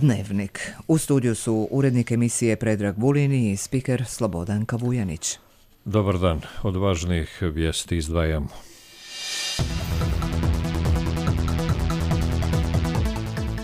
Dnevnik. U studiju su urednik emisije Predrag Vulin i spiker Slobodanka Vujanić. Dobar dan. Od važnijih vijesti izdvajamo.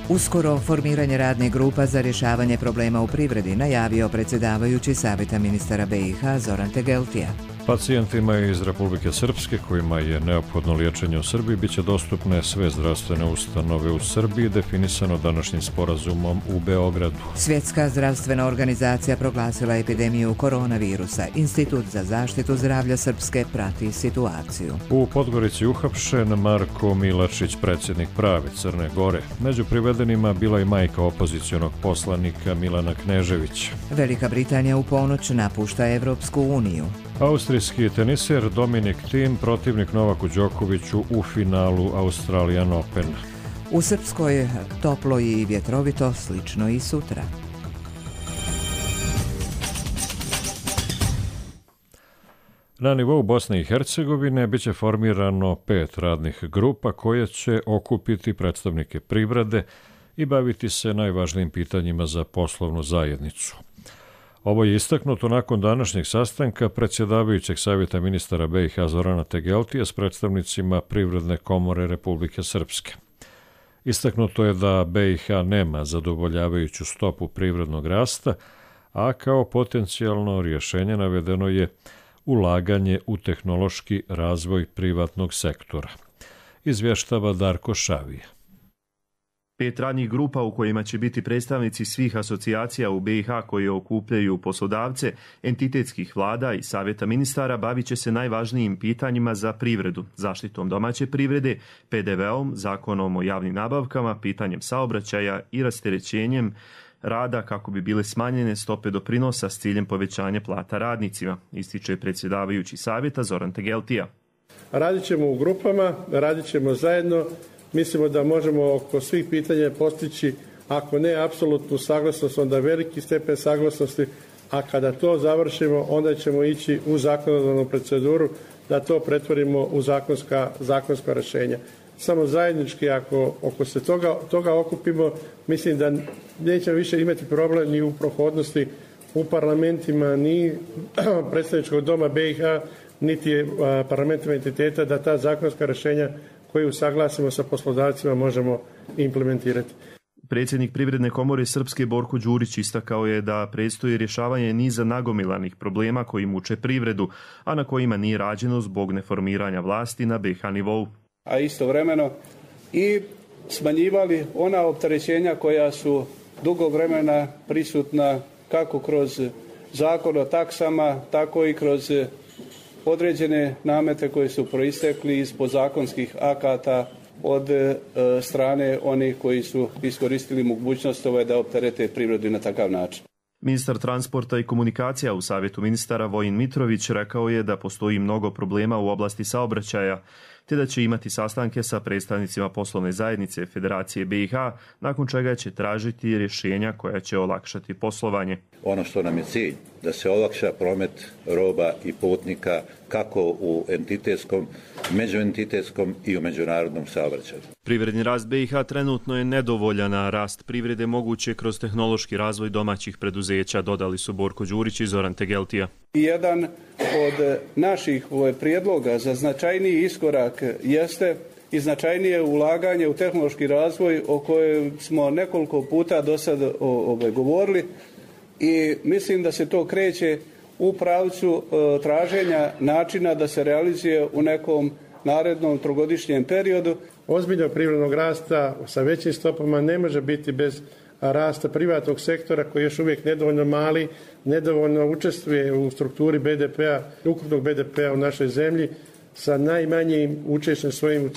Uskoro formiranje radnih grupa za rješavanje problema u privredi najavio predsjedavajući Savjeta ministara BiH Zoran Tegeltija. Pacijentima iz Republike Srpske kojima je neophodno liječenje u Srbiji bit će dostupne sve zdravstvene ustanove u Srbiji, definisano današnjim sporazumom u Beogradu. Svjetska zdravstvena organizacija proglasila epidemiju koronavirusa. Institut za zaštitu zdravlja Srpske prati situaciju. U Podgorici uhapšen Marko Milačić, predsjednik prave Crne Gore. Među privedenima bila i majka opozicionog poslanika Milana Kneževića. Velika Britanija u ponoć napušta Evropsku uniju. Austrijski teniser Dominik Thiem protivnik Novaku Đokoviću u finalu Australian Open. U Srpskoj toplo i vjetrovito, slično i sutra. Na nivou Bosne i Hercegovine biće formirano 5 radnih grupa koje će okupiti predstavnike privrede i baviti se najvažnijim pitanjima za poslovnu zajednicu. Ovo je istaknuto nakon današnjeg sastanka predsjedavajućeg Savjeta ministara BiH Zorana Tegeltija s predstavnicima Privredne komore Republike Srpske. Istaknuto je da BiH nema zadovoljavajuću stopu privrednog rasta, a kao potencijalno rješenje navedeno je ulaganje u tehnološki razvoj privatnog sektora. Izvještava Darko Šavija. 5 radnih grupa u kojima će biti predstavnici svih asocijacija u BiH koje okupljaju poslodavce, entitetskih vlada i savjeta ministara bavit će se najvažnijim pitanjima za privredu, zaštitom domaće privrede, PDV-om, zakonom o javnim nabavkama, pitanjem saobraćaja i rasterećenjem rada kako bi bile smanjene stope doprinosa s ciljem povećanja plata radnicima, ističe predsjedavajući savjeta Zoran Tegeltija. Radit ćemo u grupama, radit ćemo zajedno. Mislimo da možemo oko svih pitanja postići, ako ne apsolutnu saglasnost, onda veliki stepen saglasnosti, a kada to završimo, onda ćemo ići u zakonodavnu proceduru da to pretvorimo u zakonska rješenja. Samo zajednički, ako se toga okupimo, mislim da nećemo više imati problem ni u prohodnosti u parlamentima, ni predstavničkog doma BiH, niti parlamentima entiteta, da ta zakonska rješenja koju usaglasimo sa poslodavcima možemo implementirati. Predsjednik Privredne komore Srpske Borko Đurić istakao je da predstoji rješavanje niza nagomilanih problema koji muče privredu, a na kojima nije rađeno zbog neformiranja vlasti na BiH nivou. A istovremeno i smanjivali ona opterećenja koja su dugo vremena prisutna kako kroz zakon o taksama, tako i kroz određene namete koji su proistekli iz podzakonskih akata od strane onih koji su iskoristili mogućnost da opterete privredu na takav način. Ministar transporta i komunikacija u Savjetu ministara Vojin Mitrović rekao je da postoji mnogo problema u oblasti saobraćaja, te da će imati sastanke sa predstavnicima poslovne zajednice Federacije BiH, nakon čega će tražiti rješenja koja će olakšati poslovanje. Ono što nam je cilj, da se olakša promet roba i putnika kako u entitetskom, međuentitetskom i u međunarodnom saobraćaju. Privredni rast BiH trenutno je nedovoljan, a rast privrede moguće kroz tehnološki razvoj domaćih preduzeća, dodali su Borko Đurić i Zoran Tegeltija. Jedan od naših prijedloga za značajniji iskorak jeste i značajnije ulaganje u tehnološki razvoj o kojem smo nekoliko puta do sada govorili i mislim da se to kreće u pravcu traženja načina da se realizuje u nekom narednom trogodišnjem periodu. Ozbiljnog privrednog rasta sa većim stopama ne može biti bez rasta privatnog sektora koji je još uvijek nedovoljno mali, nedovoljno učestvuje u strukturi BDP-a, ukupnog BDP-a u našoj zemlji sa najmanjim učešćem svojim u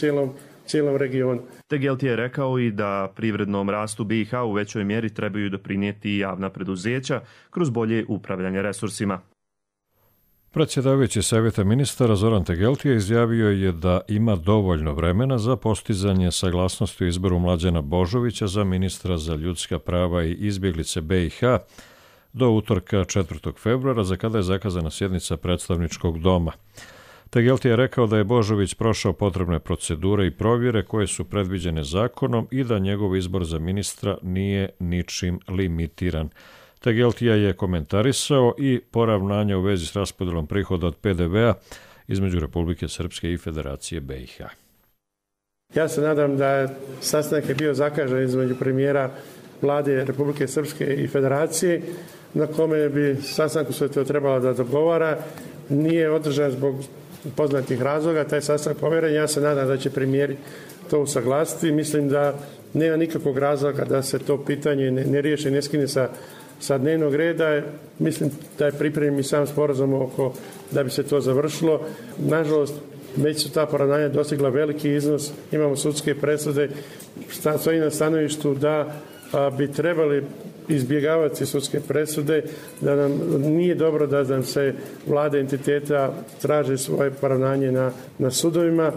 cijelom regionu. Tegeltija je rekao i da privrednom rastu BiH u većoj mjeri trebaju doprinijeti javna preduzeća kroz bolje upravljanje resursima. Predsjedavajući Savjeta ministara Zoran Tegeltija izjavio je da ima dovoljno vremena za postizanje saglasnosti u izboru Mlađana Božovića za ministra za ljudska prava i izbjeglice BiH do utorka 4. februara, za kada je zakazana sjednica predstavničkog doma. Tegeltija je rekao da je Božović prošao potrebne procedure i provjere koje su predviđene zakonom i da njegov izbor za ministra nije ničim limitiran. Tegeltija je komentarisao i poravnanja u vezi s raspodelom prihoda od PDV-a između Republike Srpske i Federacije BiH. Ja se nadam da sastanak je bio zakažen između premijera Vlade Republike Srpske i Federacije, na kome bi sastanku sve to trebalo da dogovara. Nije održan zbog poznatih razloga, taj sastanak povjeren. Ja se nadam da će premijeri to usaglasiti. Mislim da nema nikakvog razloga da se to pitanje ne riješi, ne skine sa dnevnog reda. Mislim da je pripremljen i sam sporazum oko da bi se to završilo. Nažalost, već su ta poravnanja dostigla veliki iznos. Imamo sudske presude. Stoji na stanovištu da bi trebali izbjegavati sudske presude, da nam nije dobro da nam se vlade entiteta traže svoje poravnanje na sudovima.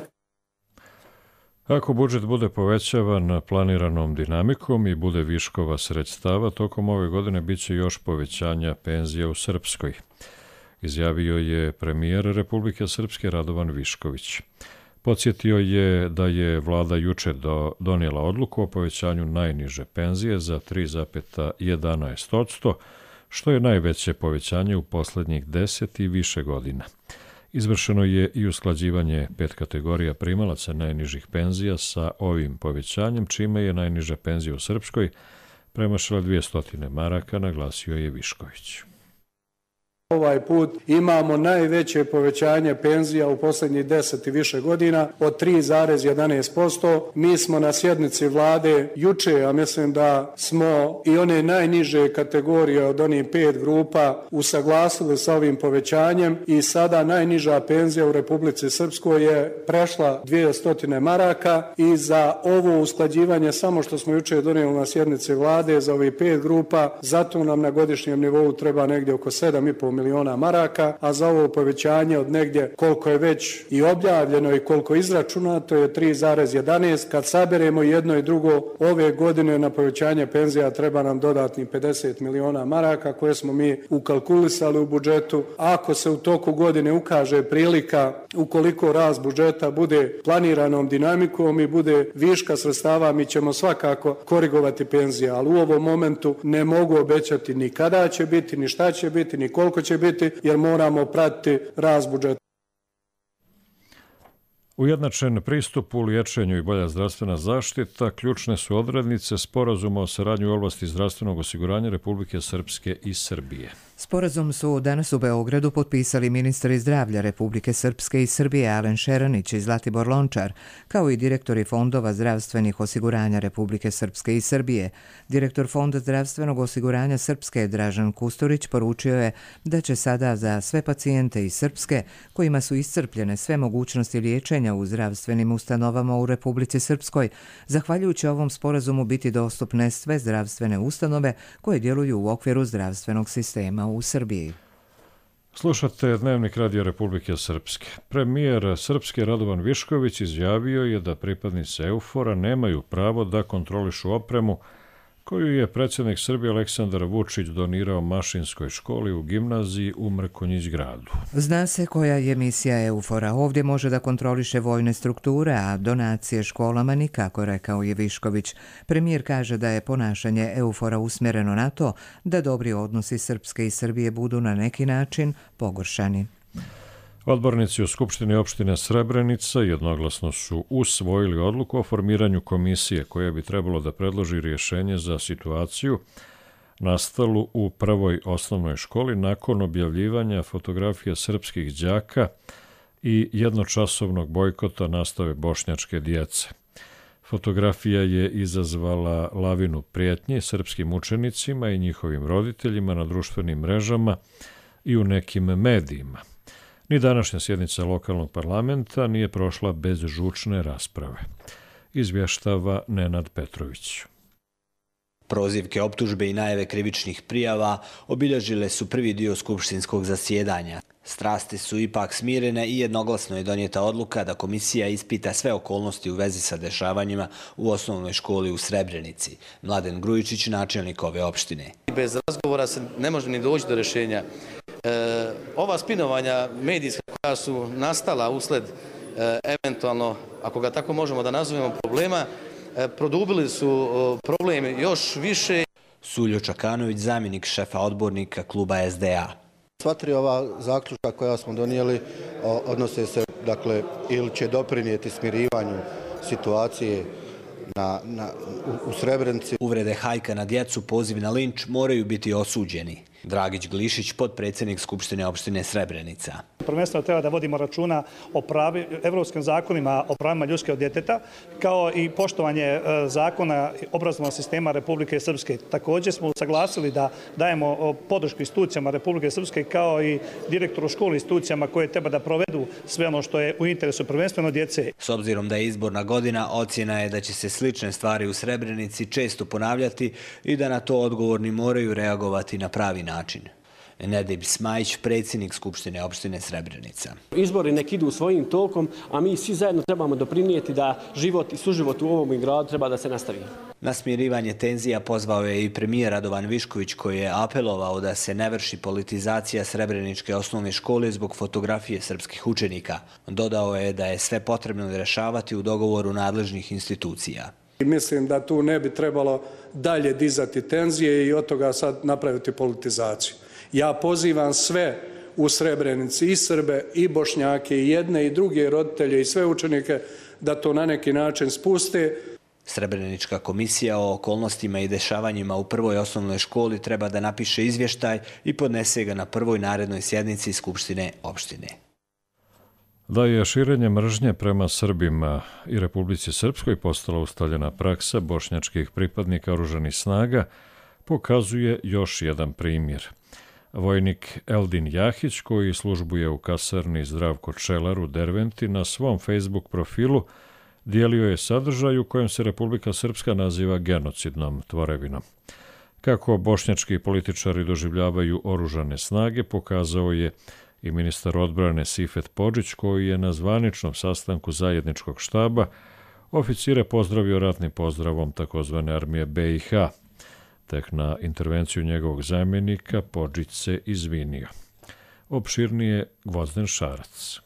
Ako budžet bude povećavan planiranom dinamikom i bude viškova sredstava, tokom ove godine bit će još povećanja penzija u Srpskoj, izjavio je premijer Republike Srpske Radovan Višković. Podsjetio je da je vlada juče donijela odluku o povećanju najniže penzije za 3,11%, što je najveće povećanje u posljednjih 10 i više godina. Izvršeno je i usklađivanje 5 kategorija primalaca najnižih penzija sa ovim povećanjem, čime je najniža penzija u Srpskoj premašila 200 maraka, naglasio je Višković. Ovaj put imamo najveće povećanje penzija u posljednjih 10 i više godina od 3,11%. Mi smo na sjednici vlade juče, a mislim da smo i one najniže kategorije od onih 5 grupa usaglasili sa ovim povećanjem i sada najniža penzija u Republici Srpskoj je prešla 200 maraka i za ovo usklađivanje samo što smo juče donijeli na sjednici vlade za ovih 5 grupa, zato nam na godišnjem nivou treba negdje oko 7,5 miliona maraka, a za ovo povećanje od negdje koliko je već i objavljeno i koliko izračunato je 3,11. Kad saberemo jedno i drugo, ove godine na povećanje penzija treba nam dodatni 50 miliona maraka koje smo mi ukalkulisali u budžetu. Ako se u toku godine ukaže prilika, ukoliko rast budžeta bude planiranom dinamikom i bude viška sredstava, mi ćemo svakako korigovati penzije, ali u ovom momentu ne mogu obećati ni kada će biti, ni šta će biti, ni koliko će biti, jer moramo pratiti rast budžeta. Ujednačen pristup u liječenju i bolja zdravstvena zaštita ključne su odrednice Sporazuma o saradnji u oblasti zdravstvenog osiguranja Republike Srpske i Srbije. Sporazum su danas u Beogradu potpisali ministri zdravlja Republike Srpske i Srbije Alen Šeranić i Zlatibor Lončar, kao i direktori fondova zdravstvenih osiguranja Republike Srpske i Srbije. Direktor Fonda zdravstvenog osiguranja Srpske Dražan Kusturić poručio je da će sada za sve pacijente iz Srpske, kojima su iscrpljene sve mogućnosti liječenja u zdravstvenim ustanovama u Republici Srpskoj, zahvaljujući ovom sporazumu biti dostupne sve zdravstvene ustanove koje djeluju u okviru zdravstvenog sistema u Srbiji. Slušate Dnevnik Radio Republike Srpske. Premijer Srpske Radovan Višković izjavio je da pripadnici EUFOR-a nemaju pravo da kontrolišu opremu koju je predsjednik Srbije Aleksandar Vučić donirao Mašinskoj školi u gimnaziji u Mrkonjić gradu. Zna se koja je misija EUFOR-a. Ovdje može da kontroliše vojne strukture, a donacije školama nikako, rekao je Višković. Premijer kaže da je ponašanje EUFOR-a usmjereno na to da dobri odnosi Srpske i Srbije budu na neki način pogoršani. Odbornici u Skupštini opštine Srebrenica jednoglasno su usvojili odluku o formiranju komisije koja bi trebalo da predloži rješenje za situaciju nastalu u prvoj osnovnoj školi nakon objavljivanja fotografija srpskih đaka i jednočasovnog bojkota nastave bošnjačke djece. Fotografija je izazvala lavinu prijetnji srpskim učenicima i njihovim roditeljima na društvenim mrežama i u nekim medijima. Ni današnja sjednica lokalnog parlamenta nije prošla bez žučne rasprave, izvještava Nenad Petrović. Prozivke, optužbe i najave krivičnih prijava obilježile su prvi dio skupštinskog zasjedanja. Strasti su ipak smirene i jednoglasno je donijeta odluka da komisija ispita sve okolnosti u vezi sa dešavanjima u osnovnoj školi u Srebrenici. Mladen Grujičić, načelnik ove opštine. Bez razgovora se ne može ni doći do rješenja. Ova spinovanja medijska koja su nastala usled eventualno, ako ga tako možemo da nazovemo, problema, produbili su problem još više. Suljo Čakanović, zamjenik šefa odbornika kluba SDA. Sva tri ova zaključka koja smo donijeli odnose se, dakle, ili će doprinijeti smirivanju situacije u Srebrenici. Uvrede hajka na djecu, poziv na linč moraju biti osuđeni. Dragić Glišić, potpredsjednik Skupštine opštine Srebrenica. Prvenstveno treba da vodimo računa o evropskim zakonima o pravima ljudskog djeteta, kao i poštovanje zakona obrazovnog sistema Republike Srpske. Također smo saglasili da dajemo podršku institucijama Republike Srpske kao i direktoru škole institucijama koje treba da provedu sve ono što je u interesu prvenstveno djece. S obzirom da je izborna godina, ocjena je da će se slične stvari u Srebrenici često ponavljati i da na to odgovorni moraju reagovati na pravi način. Nedib Smajić, predsjednik Skupštine opštine Srebrenica. Izbori nek idu svojim tokom, a mi svi zajedno trebamo doprinijeti da život i suživot u ovom gradu treba da se nastavi. Na smirivanje tenzija pozvao je i premijer Radovan Višković, koji je apelovao da se ne vrši politizacija Srebreničke osnovne škole zbog fotografije srpskih učenika. Dodao je da je sve potrebno rješavati u dogovoru nadležnih institucija. Mislim da tu ne bi trebalo dalje dizati tenzije i od toga sad napraviti politizaciju. Ja pozivam sve u Srebrenici, i Srbe, i Bošnjake, i jedne i druge roditelje, i sve učenike, da to na neki način spuste. Srebrenička komisija o okolnostima i dešavanjima u prvoj osnovnoj školi treba da napiše izvještaj i podnese ga na prvoj narednoj sjednici Skupštine opštine. Da je širenje mržnje prema Srbima i Republici Srpskoj postala ustaljena praksa bošnjačkih pripadnika oružanih snaga, pokazuje još jedan primjer. Vojnik Eldin Jahić, koji službuje u kasarni Zdravko Čelar u Derventi, na svom Facebook profilu dijelio je sadržaj u kojem se Republika Srpska naziva genocidnom tvorevinom. Kako bošnjački političari doživljavaju oružane snage, pokazao je i ministar odbrane Sifet Podžić, koji je na zvaničnom sastanku zajedničkog štaba oficire pozdravio ratnim pozdravom takozvane armije BiH. Tek na intervenciju njegovog zamjenika Podžić se izvinio. Opširnije Gvozden Šarac.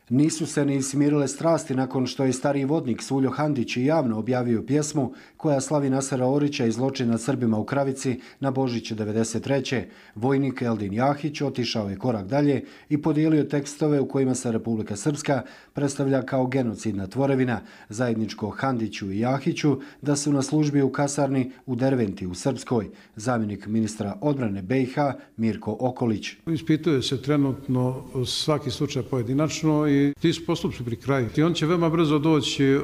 Nisu se ni smirile strasti nakon što je stariji vodnik Suljo Handić javno objavio pjesmu koja slavi Nasera Orića i zločin nad Srbima u Kravici na Božić 1993. Vojnik Eldin Jahić otišao je korak dalje i podijelio tekstove u kojima se Republika Srpska predstavlja kao genocidna tvorevina, zajedničko Handiću i Jahiću da su na službi u kasarni u Derventi u Srpskoj. Zamjenik ministra odbrane BiH Mirko Okolić. Ispituje se trenutno svaki slučaj pojedinačno i ti su postupci pri kraju. I on će veoma brzo doći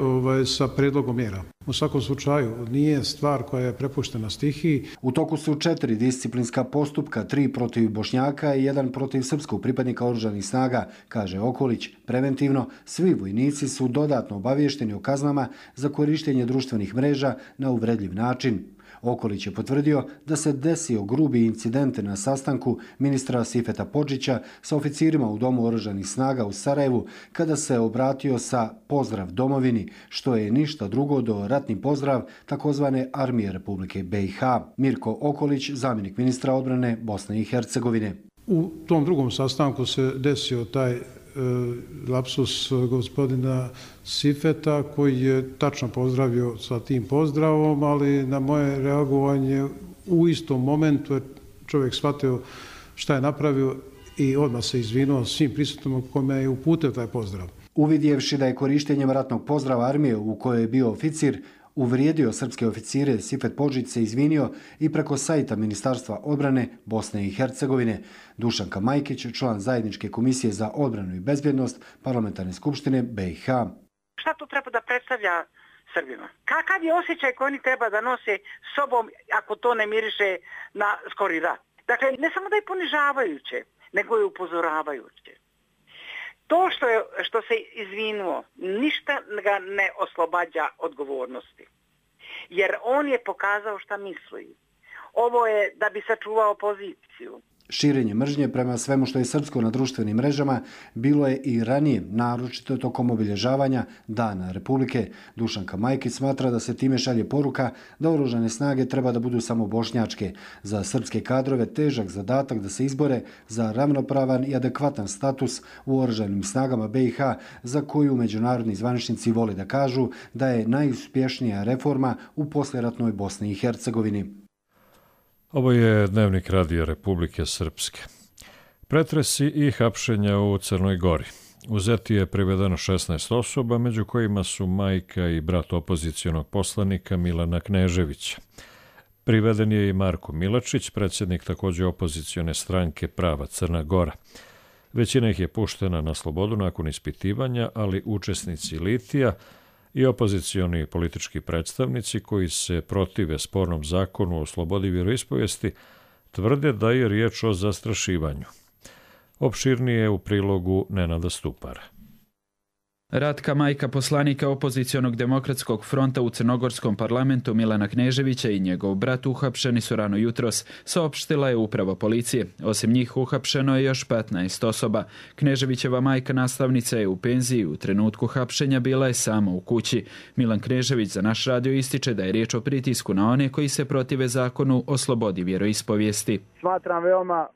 sa predlogom mjera. U svakom slučaju nije stvar koja je prepuštena stihiji. U toku su 4 disciplinska postupka, 3 protiv Bošnjaka i 1 protiv srpskog pripadnika oružanih snaga, kaže Okolić. Preventivno, svi vojnici su dodatno obavješteni o kaznama za korištenje društvenih mreža na uvredljiv način. Okolić je potvrdio da se desio grubi incident na sastanku ministra Sifeta Podžića sa oficirima u Domu oružanih snaga u Sarajevu kada se obratio sa pozdrav domovini, što je ništa drugo do ratni pozdrav takozvane armije Republike BiH. Mirko Okolić, zamjenik ministra odbrane Bosne i Hercegovine. U tom drugom sastanku se desio taj lapsus gospodina Sifeta, koji je tačno pozdravio sa tim pozdravom, ali na moje reagovanje u istom momentu je čovjek shvatio šta je napravio i odmah se izvinuo svim prisutnim kome je uputio taj pozdrav. Uvidjevši da je korištenjem ratnog pozdrava armije u kojoj je bio oficir uvrijedio srpske oficire, Sifet Podžić se izvinio i preko sajta Ministarstva odbrane Bosne i Hercegovine. Dušanka Majkić, član zajedničke komisije za odbranu i bezbjednost Parlamentarne skupštine BiH. Šta to treba da predstavlja Srbima? Kakav je osjećaj koji oni treba da nose sobom ako to ne miriše na skori rat? Dakle, ne samo da je ponižavajuće, nego je upozoravajuće. To što se izvinuo, ništa ga ne oslobađa odgovornosti. Jer on je pokazao šta misli. Ovo je da bi sačuvao poziciju. Širenje mržnje prema svemu što je srpsko na društvenim mrežama bilo je i ranije, naročito tokom obilježavanja Dana Republike. Dušanka Majkić smatra da se time šalje poruka da oružane snage treba da budu samo bošnjačke. Za srpske kadrove težak zadatak da se izbore za ravnopravan i adekvatan status u oružanim snagama BiH, za koju međunarodni zvaničnici vole da kažu da je najuspješnija reforma u poslijeratnoj Bosni i Hercegovini. Ovo je Dnevnik Radija Republike Srpske. Pretresi i hapšenja u Crnoj Gori. U Zeti je privedeno 16 osoba, među kojima su majka i brat opozicionog poslanika Milana Kneževića. Priveden je i Marko Milačić, predsjednik također opozicione stranke Prava Crna Gora. Većina ih je puštena na slobodu nakon ispitivanja, ali učesnici litija i opozicioni politički predstavnici koji se protive spornom zakonu o slobodi vjeroispovijesti tvrde da je riječ o zastrašivanju. Opširnije u prilogu Nenada Stupara. Ratka, majka poslanika opozicionog demokratskog fronta u crnogorskom parlamentu Milana Kneževića i njegov brat uhapšeni su rano jutros, saopštila je uprava policije. Osim njih uhapšeno je još 15 osoba. Kneževićeva majka nastavnica je u penziji, u trenutku hapšenja bila je sama u kući. Milan Knežević za naš radio ističe da je riječ o pritisku na one koji se protive zakonu o slobodi vjeroispovijesti. Smatram veoma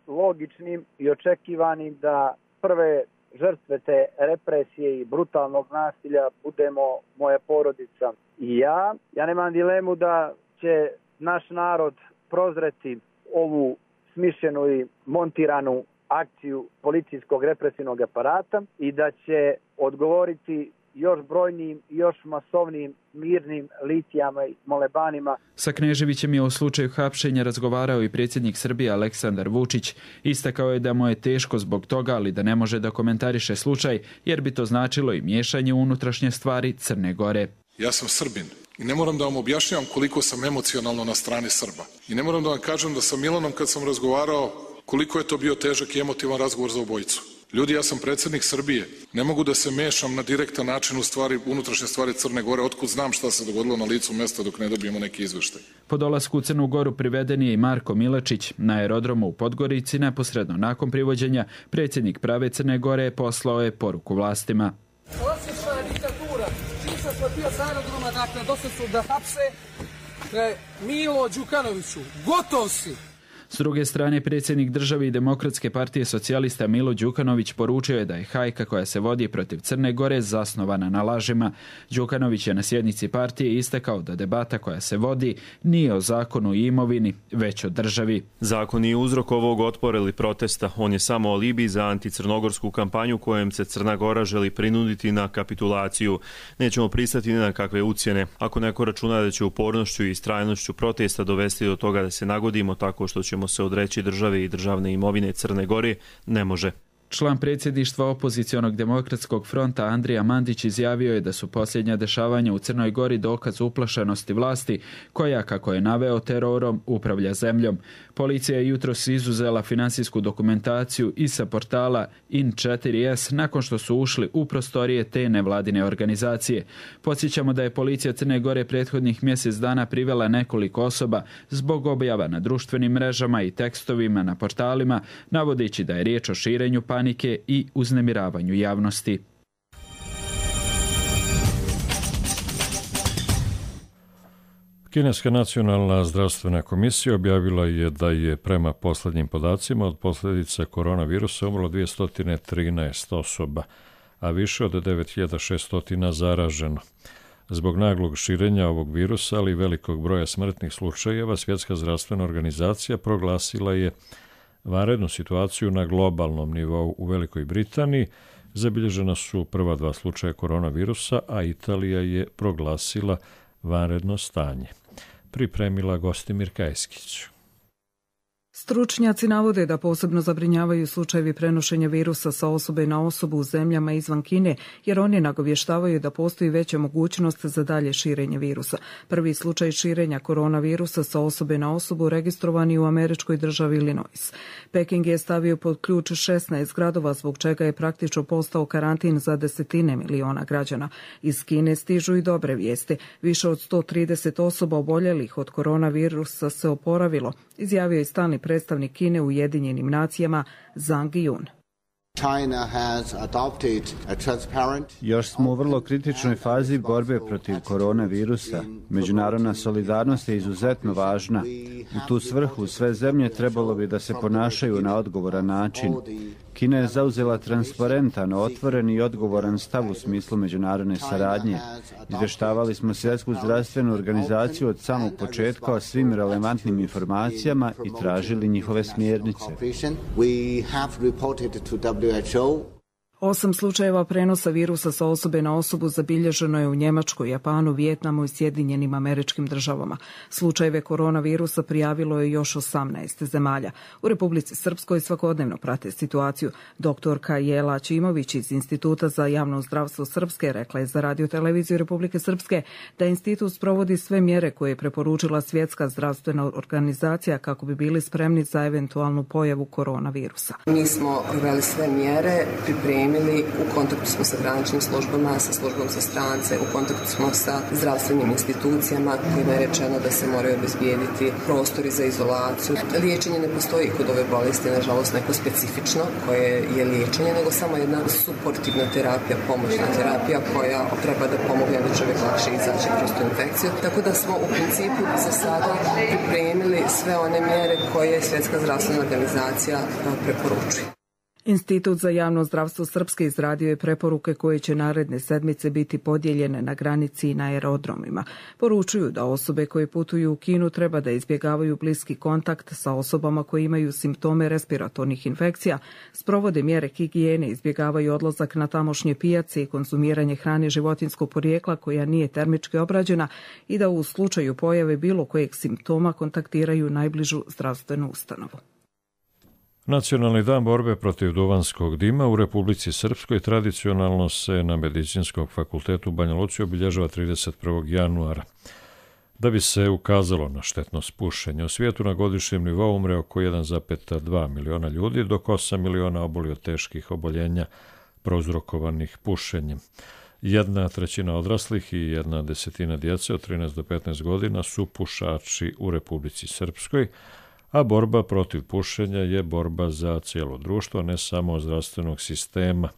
logičnim i očekivanim da prve žrtve te represije i brutalnog nasilja budemo moja porodica i ja. Ja nemam dilemu da će naš narod prozreti ovu smišljenu i montiranu akciju policijskog represivnog aparata i da će odgovoriti još brojnim i još masovnim mirnim litijama i molebanima. Sa Kneževićem je u slučaju hapšenja razgovarao i predsjednik Srbije Aleksandar Vučić. Istakao je da mu je teško zbog toga, ali da ne može da komentariše slučaj, jer bi to značilo i miješanje u unutrašnje stvari Crne Gore. Ja sam Srbin i ne moram da vam objašnjavam koliko sam emocionalno na strani Srba. I ne moram da vam kažem da sa Milanom kad sam razgovarao koliko je to bio težak i emotivan razgovor za obojicu. Ljudi, ja sam predsjednik Srbije. Ne mogu da se mešam na direktan način u stvari, unutrašnje stvari Crne Gore. Otkud znam šta se dogodilo na licu mjesta dok ne dobijemo neki izveštaj. Po dolasku u Crnu Goru priveden je i Marko Milačić. Na aerodromu u Podgorici, neposredno nakon privođenja, predsjednik Prave Crne Gore poslao je poruku vlastima. Osjećna je diktatura. Čim sam bio sa aerodroma, dakle, došli su da hapse Milo Đukanoviću. Gotov si! S druge strane, predsjednik države i Demokratske partije socijalista Milo Đukanović poručio je da je hajka koja se vodi protiv Crne Gore zasnovana na lažima. Đukanović je na sjednici partije istakao da debata koja se vodi nije o zakonu i imovini, već o državi. Zakon nije uzrok ovog otpora ili protesta. On je samo alibi za anticrnogorsku kampanju kojom se Crna Gora želi prinuditi na kapitulaciju. Nećemo pristati ni na kakve ucjene. Ako neko računa da će upornošću i istrajnošću protesta dovesti do toga da se nagodimo tako što ćemo se odreći države i državne imovine Crne Gore, ne može. Član predsjedništva opozicionog demokratskog fronta Andrija Mandić izjavio je da su posljednja dešavanja u Crnoj Gori dokaz uplašenosti vlasti koja, kako je naveo, terorom upravlja zemljom. Policija je jutros izuzela finansijsku dokumentaciju i sa portala In4S nakon što su ušli u prostorije te nevladine organizacije. Podsjećamo da je policija Crne Gore prethodnih mjesec dana privela nekoliko osoba zbog objava na društvenim mrežama i tekstovima na portalima, navodeći da je riječ o širenju panike i uznemiravanju javnosti. Kineska nacionalna zdravstvena komisija objavila je da je prema posljednjim podacima od posljedica koronavirusa umrlo 213 osoba, a više od 9600 zaraženo. Zbog naglog širenja ovog virusa, ali i velikog broja smrtnih slučajeva, Svjetska zdravstvena organizacija proglasila je vanrednu situaciju na globalnom nivou. U Velikoj Britaniji zabilježena su prva 2 slučaja koronavirusa, a Italija je proglasila vanredno stanje. Pripremila Gostimir Kajskić. Stručnjaci navode da posebno zabrinjavaju slučajevi prenošenja virusa sa osobe na osobu u zemljama izvan Kine, jer oni nagovještavaju da postoji veća mogućnost za dalje širenje virusa. Prvi slučaj širenja koronavirusa sa osobe na osobu registrovan je u američkoj državi Illinois. Peking je stavio pod ključ 16 gradova, zbog čega je praktično postao karantin za desetine miliona građana. Iz Kine stižu i dobre vijesti. Više od 130 osoba oboljelih od koronavirusa se oporavilo, izjavio je stalni predstavnik Kine u Ujedinjenim nacijama Zhang Yun. Još smo u vrlo kritičnoj fazi borbe protiv koronavirusa. Međunarodna solidarnost je izuzetno važna. U tu svrhu sve zemlje trebalo bi da se ponašaju na odgovoran način. Kina je zauzela transparentan, otvoren i odgovoran stav u smislu međunarodne saradnje. Izvještavali smo Svjetsku zdravstvenu organizaciju od samog početka o svim relevantnim informacijama i tražili njihove smjernice. 8 slučajeva prenosa virusa sa osobe na osobu zabilježeno je u Njemačkoj, Japanu, Vijetnamu i Sjedinjenim Američkim Državama. Slučajeve koronavirusa prijavilo je još 18 zemalja. U Republici Srpskoj svakodnevno prate situaciju. Doktorka Jela Ćimović iz Instituta za javno zdravstvo Srpske rekla je za Radio-televiziju Republike Srpske da institut sprovodi sve mjere koje je preporučila Svjetska zdravstvena organizacija kako bi bili spremni za eventualnu pojavu koronavirusa. Mi smo proveli sve mjere, pripremili, u kontaktu smo sa graničnim službama, sa službom za strance, u kontaktu smo sa zdravstvenim institucijama kojima je rečeno da se moraju obezbijediti prostori za izolaciju. Liječenje ne postoji kod ove bolesti, nažalost neko specifično koje je liječenje, nego samo jedna suportivna terapija, pomoćna terapija koja treba da pomogne da čovjek lakše izaći kroz tu infekciju. Tako da smo u principu za sada pripremili sve one mjere koje Svjetska zdravstvena organizacija preporučuje. Institut za javno zdravstvo Srpske izradio je preporuke koje će naredne sedmice biti podijeljene na granici i na aerodromima. Poručuju da osobe koje putuju u Kinu treba da izbjegavaju bliski kontakt sa osobama koje imaju simptome respiratornih infekcija, sprovode mjere higijene, izbjegavaju odlazak na tamošnje pijace i konzumiranje hrane životinjskog porijekla koja nije termički obrađena i da u slučaju pojave bilo kojeg simptoma kontaktiraju najbližu zdravstvenu ustanovu. Nacionalni dan borbe protiv duvanskog dima u Republici Srpskoj tradicionalno se na Medicinskom fakultetu u Banja Luci obilježava 31. januara. Da bi se ukazalo na štetnost pušenja, u svijetu na godišnjem nivou umre oko 1,2 miliona ljudi, dok 8 miliona oboli od teških oboljenja prouzrokovanih pušenjem. 1/3 odraslih i 1/10 djece od 13 do 15 godina su pušači u Republici Srpskoj, a borba protiv pušenja je borba za cijelo društvo, ne samo zdravstvenog sistema.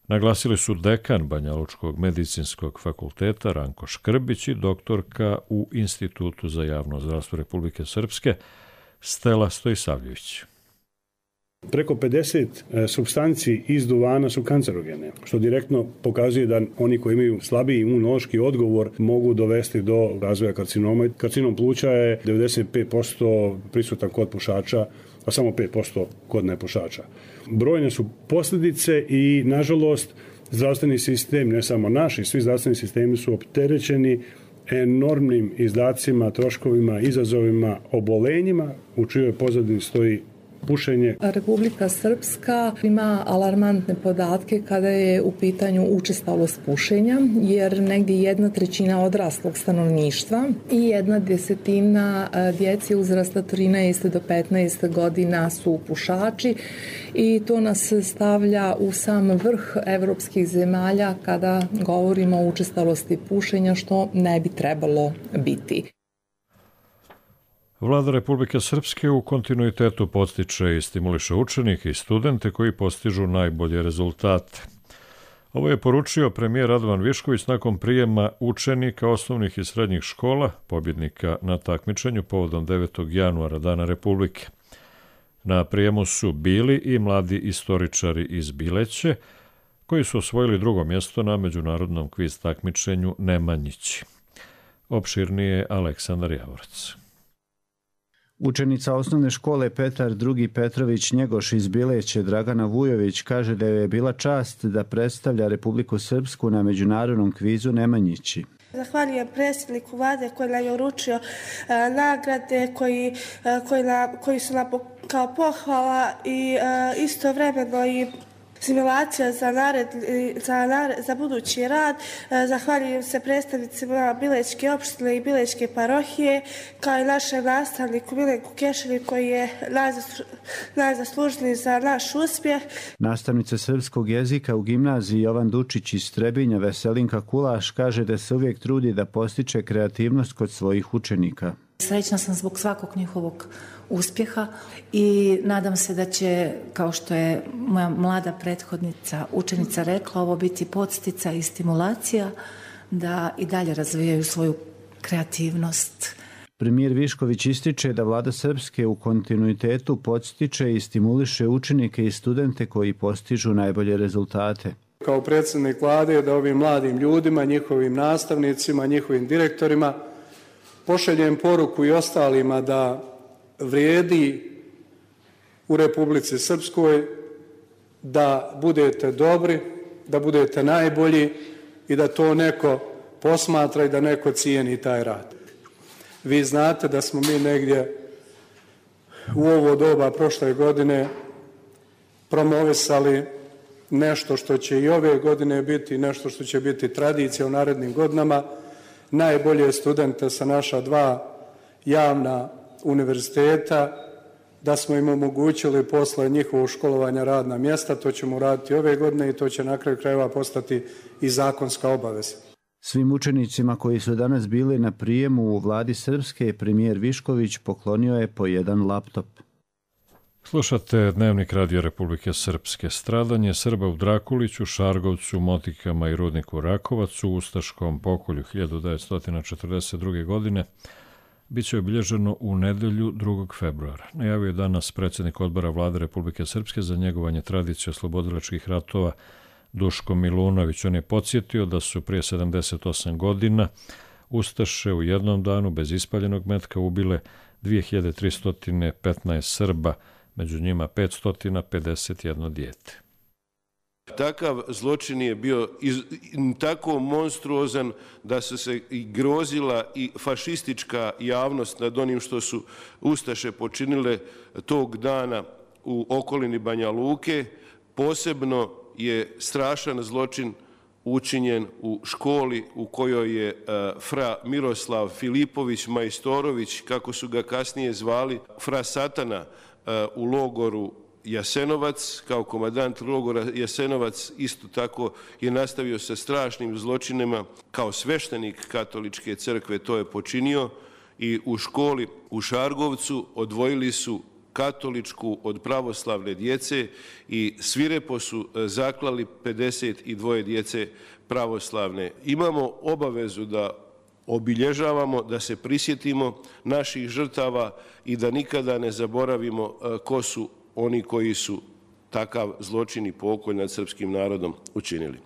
Naglasili su dekan Banjalučkog medicinskog fakulteta Ranko Škrbić i doktorka u Institutu za javno zdravstvo Republike Srpske Stela Stojsavljević. Preko 50 supstanci iz duvana su kancerogene, što direktno pokazuje da oni koji imaju slabiji imunološki odgovor mogu dovesti do razvoja karcinoma. Karcinom pluća je 95% prisutan kod pušača, a samo 5% kod nepušača. Brojne su posljedice i, nažalost, zdravstveni sistem, ne samo naši, svi zdravstveni sistemi su opterećeni enormnim izdacima, troškovima, izazovima, obolenjima u čijoj pozadini stoji pušenje. Republika Srpska ima alarmantne podatke kada je u pitanju učestalost pušenja, jer negdje 1/3 odraslog stanovništva i 1/10 djece uzrasta 13 do 15 godina su pušači i to nas stavlja u sam vrh evropskih zemalja kada govorimo o učestalosti pušenja, što ne bi trebalo biti. Vlada Republike Srpske u kontinuitetu podstiče i stimuliše učenike i studente koji postižu najbolje rezultate. Ovo je poručio premijer Radovan Višković nakon prijema učenika osnovnih i srednjih škola, pobjednika na takmičenju povodom 9. januara, Dana Republike. Na prijemu su bili i mladi istoričari iz Bileće, koji su osvojili 2. mjesto na međunarodnom kviz takmičenju Nemanjići. Opširnije Aleksandar Javorac. Učenica osnovne škole Petar II. Petrović Njegoš iz Bileće Dragana Vujović kaže da je bila čast da predstavlja Republiku Srpsku na međunarodnom kvizu Nemanjići. Zahvaljujem predsjedniku vlade koji nam je uručio nagrade koji su nam kao pohvala i istovremeno i simulacija za budući rad. Zahvaljujem se predstavnicima Bilečke opštine i Bilečke parohije, kao i našem nastavniku Milenku Kešelju koji je najzaslužniji za naš uspjeh. Nastavnica srpskog jezika u gimnaziji Jovan Dučić iz Trebinja Veselinka Kulaš kaže da se uvijek trudi da postiče kreativnost kod svojih učenika. Srećna sam zbog svakog njihovog uspjeha i nadam se da će, kao što je moja mlada prethodnica, učenica rekla, ovo biti podsticaj i stimulacija da i dalje razvijaju svoju kreativnost. Premijer Višković ističe da vlada Srpske u kontinuitetu podstiče i stimuliše učenike i studente koji postižu najbolje rezultate. Kao predsjednik vlade da ovim mladim ljudima, njihovim nastavnicima, njihovim direktorima pošaljem poruku i ostalima da vrijedi u Republici Srpskoj da budete dobri, da budete najbolji i da to neko posmatra i da neko cijeni taj rad. Vi znate da smo mi negdje u ovo doba prošle godine promovisali nešto što će i ove godine biti, nešto što će biti tradicija u narednim godinama, najbolje studente sa naša 2 javna univerziteta, da smo im omogućili posle njihovog školovanja radna mjesta. To ćemo raditi ove godine i to će na kraju krajeva postati i zakonska obaveza. Svim učenicima koji su danas bili na prijemu u vladi Srpske, premijer Višković poklonio je po jedan laptop. Slušate Dnevnik Radio Republike Srpske. Stradanje Srba u Drakuliću, Šargovcu, Motikama i rudniku Rakovac u ustaškom pokolju 1942. godine biće obilježeno u nedelju 2. februara. Najavio je danas predsjednik odbora vlade Republike Srpske za njegovanje tradicije oslobodilačkih ratova Duško Milunović. On je podsjetio da su prije 78 godina ustaše u jednom danu bez ispaljenog metka ubile 2315 Srba, među njima 551 dijete. Takav zločin je bio tako monstruozan da su se i grozila i fašistička javnost nad onim što su ustaše počinile tog dana u okolini Banja Luke. Posebno je strašan zločin učinjen u školi u kojoj je fra Miroslav Filipović Majstorović, kako su ga kasnije zvali, fra Satana, u logoru Jasenovac, kao komandant logora Jasenovac, isto tako je nastavio sa strašnim zločinima. Kao sveštenik katoličke crkve to je počinio i u školi u Šargovcu odvojili su katoličku od pravoslavne djece i svirepo su zaklali 52 djece pravoslavne. Imamo obavezu da obilježavamo, da se prisjetimo naših žrtava i da nikada ne zaboravimo ko su oni koji su takav zločin i pokolj nad srpskim narodom učinili.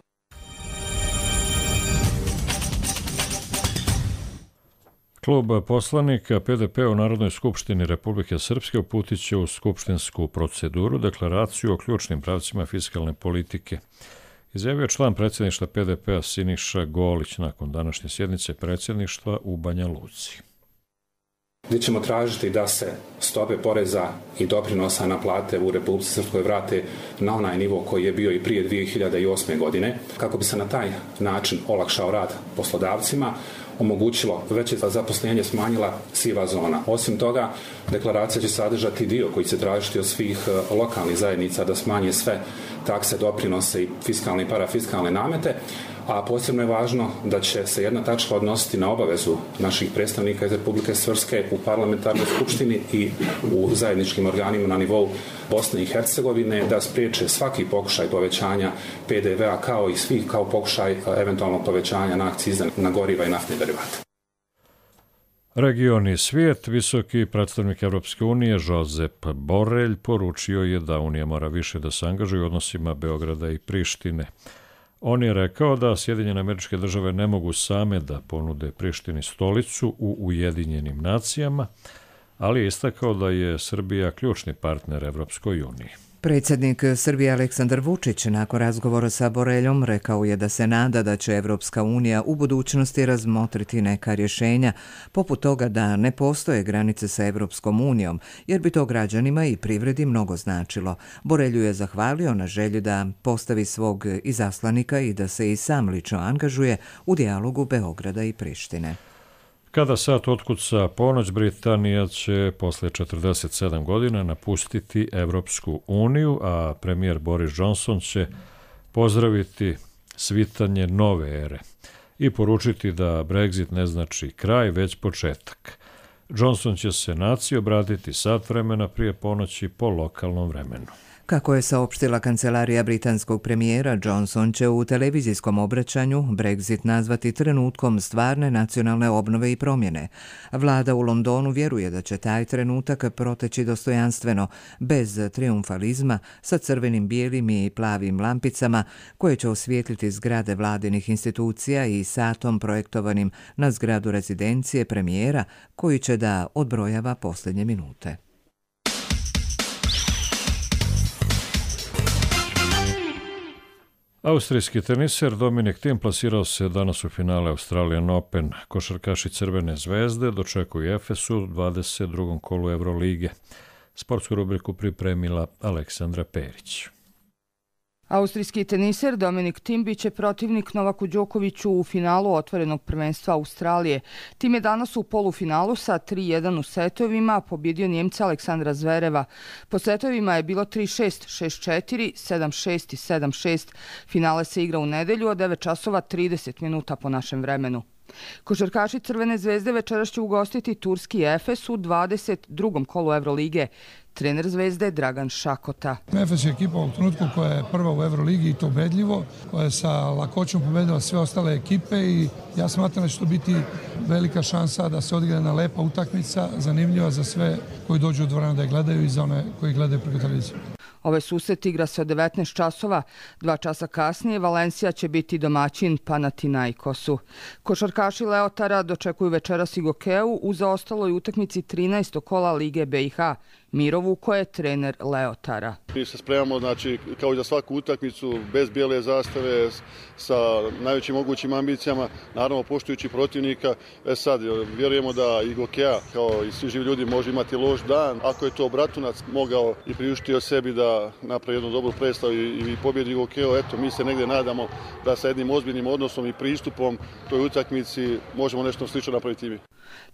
Klub poslanika PDP u Narodnoj skupštini Republike Srpske uputit će u skupštinsku proceduru deklaraciju o ključnim pravcima fiskalne politike. Izjavio član predsjedništva PDP-a Siniša Golić nakon današnje sjednice predsjedništva u Banja Luci. Gdje ćemo tražiti da se stope poreza i doprinosa na plate u Republici Srpskoj vrate na onaj nivo koji je bio i prije 2008. godine, kako bi se na taj način olakšao rad poslodavcima, omogućilo veće zaposlenje, smanjila siva zona. Osim toga, deklaracija će sadržati dio koji će tražiti od svih lokalnih zajednica da smanje sve takse, doprinose i fiskalne i parafiskalne namete, a posebno je važno da će se jedna tačka odnositi na obavezu naših predstavnika iz Republike Srpske u parlamentarnoj skupštini i u zajedničkim organima na nivou Bosne i Hercegovine da spriječe svaki pokušaj povećanja PDV-a kao pokušaj eventualnog povećanja na akcize na goriva i naftne derivate. Region i svijet, visoki predstavnik Evropske unije Josep Borrell poručio je da Unija mora više da se angažuje u odnosima Beograda i Prištine. On je rekao da Sjedinjene Američke Države ne mogu same da ponude Prištini stolicu u Ujedinjenim nacijama, ali je istakao da je Srbija ključni partner Evropskoj uniji. Predsjednik Srbije Aleksandar Vučić nakon razgovora sa Borreljom rekao je da se nada da će Evropska unija u budućnosti razmotriti neka rješenja, poput toga da ne postoje granice sa Evropskom unijom, jer bi to građanima i privredi mnogo značilo. Borrelju je zahvalio na želji da postavi svog izaslanika i da se i sam lično angažuje u dijalogu Beograda i Prištine. Kada sat otkuca ponoć, Britanija će posle 47 godina napustiti Evropsku uniju, a premijer Boris Johnson će pozdraviti svitanje nove ere i poručiti da Brexit ne znači kraj, već početak. Johnson će se naciji obratiti sat vremena prije ponoći po lokalnom vremenu. Kako je saopštila kancelarija britanskog premijera, Johnson će u televizijskom obraćanju Brexit nazvati trenutkom stvarne nacionalne obnove i promjene. Vlada u Londonu vjeruje da će taj trenutak proteći dostojanstveno, bez triumfalizma, sa crvenim, bijelim i plavim lampicama koje će osvijetliti zgrade vladinih institucija i satom projektovanim na zgradu rezidencije premijera koji će da odbrojava posljednje minute. Austrijski teniser Dominik Thiem plasirao se danas u finale Australian Open. Košarkaši Crvene zvezde dočekuju Efes u 22. kolu Evrolige. Sportsku rubriku pripremila Aleksandra Perić. Austrijski teniser Dominik Thiem biće protivnik Novaku Đokoviću u finalu otvorenog prvenstva Australije. Thiem je danas u polufinalu sa 3-1 u setovima pobjedio Njemca Aleksandra Zvereva. Po setovima je bilo 3-6, 6-4, 7-6 i 7-6. Finale se igra u nedelju od 9 časova 30 minuta po našem vremenu. Košarkaši Crvene zvezde večeras će ugostiti turski Efes u 22. kolu Evrolige. Trener Zvezde Dragan Šakota. Efes je ekipa u trenutku koja je prva u Evroligi i to ubedljivo, koja je sa lakoćom pobedila sve ostale ekipe i ja smatram da će to biti velika šansa da se odigra jedna lepa utakmica, zanimljiva za sve koji dođu u dvoranu da je gledaju i za one koji gledaju preko televizije. Ovaj susret igra se od 19 časova. 2 časa kasnije Valencija će biti domaćin Panathinaikosu. Košarkaši Leotara dočekuju večeras i Gokeu u zaostaloj utakmici 13. kola Lige BiH. Miro Vuko je trener Leotara. Mi se spremamo, znači, kao i za svaku utakmicu, bez bijele zastave, sa najvećim mogućim ambicijama, naravno poštujući protivnika. Sad, vjerujemo da i Gokea, kao i svi živi ljudi, može imati loš dan. Ako je to Bratunac mogao i priuštio sebi da napravi jednu dobru predstavu i pobjedi Gokeo, eto, mi se negdje nadamo da sa jednim ozbiljnim odnosom i pristupom toj utakmici možemo nešto slično napraviti i mi.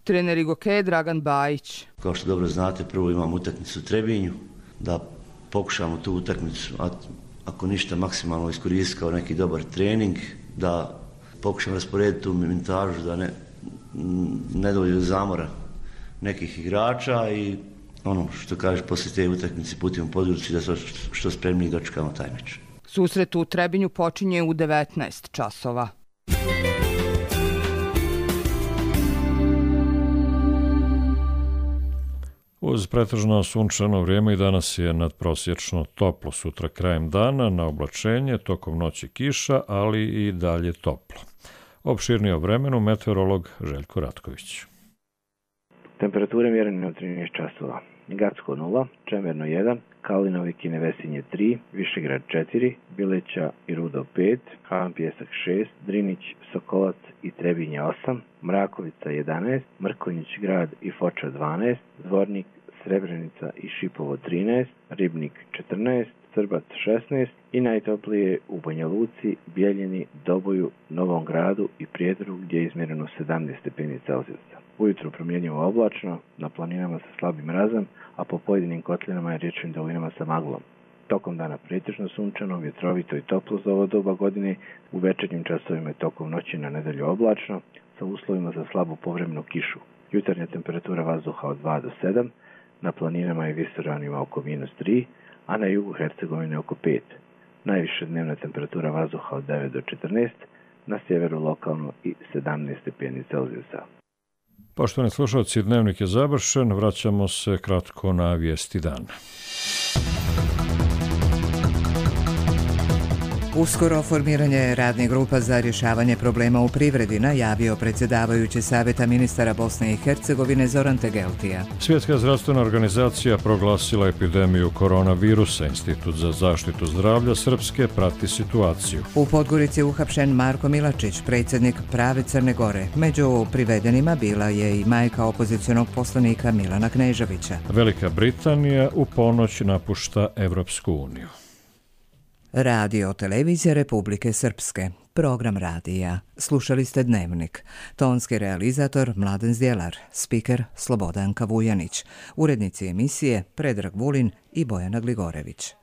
Trener Gokeje Dragan Bajić. Kao što dobro znate, prvo imamo utakmicu u Trebinju, da pokušamo tu utakmicu, ako ništa, maksimalno iskoristiti kao neki dobar trening, da pokušamo rasporediti tu minutažu, da ne dođe do zamora nekih igrača i ono što kaže, poslije te utakmice putimo Podgoricu da smo što spremni dočekamo taj meč. Susret u Trebinju počinje u 19 časova. Uz pretežno sunčano vrijeme i danas je nadprosječno toplo, sutra krajem dana na oblačenje, tokom noći kiša, ali i dalje toplo. Opširnije o vremenu meteorolog Željko Ratković. Temperature mjerene od 13 časova. Gacko 0, Čemerno 1, Kalinovik i Nevesinje 3, Višegrad 4, Bileća i Rudo 5, Havan Pjesak 6, Drinić, Sokolac i Trebinje 8, Mrakovica 11, Mrkonjić grad i Foča 12, Zvornik, Srebrenica i Šipovo 13, Ribnik 14, Srbac 16 i najtoplije u Banja Luci, Bijeljini, Doboju, Novom gradu i Prijedoru gdje je izmjereno 17 stepeni Celzijusa. Ujutro promjenjivo oblačno, na planinama sa slabim mrazom, a po pojedinim kotlinama i riječnim dolinama sa maglom. Tokom dana pretežno sunčano, vjetrovito i toplo za ovo doba godine, u večernjim časovima i tokom noći na nedelju oblačno, sa uslovima za slabu povremenu kišu. Jutarnja temperatura vazduha od 2 do 7, na planinama i visoravnima oko -3, a na jugu Hercegovine oko 5. Najviše dnevna temperatura vazduha od 9 do 14, na sjeveru lokalno i 17 stepeni Celzijusa. Poštovani slušalci, dnevnik je završen, vraćamo se kratko na vijesti dana. Uskoro formiranje radne grupa za rješavanje problema u privredi najavio predsjedavajući Savjeta ministara Bosne i Hercegovine Zoran Tegeltija. Svjetska zdravstvena organizacija proglasila epidemiju koronavirusa. Institut za zaštitu zdravlja Srpske prati situaciju. U Podgorici je uhapšen Marko Milačić, predsjednik Prave Crne Gore. Među privedenima bila je i majka opozicionog poslanika Milana Kneževića. Velika Britanija u ponoć napušta Evropsku uniju. Radio televizija Republike Srpske. Program radija. Slušali ste Dnevnik. Tonski realizator Mladen Zdjelar. Spiker Slobodanka Vujanić. Urednici emisije Predrag Vulin i Bojana Gligorević.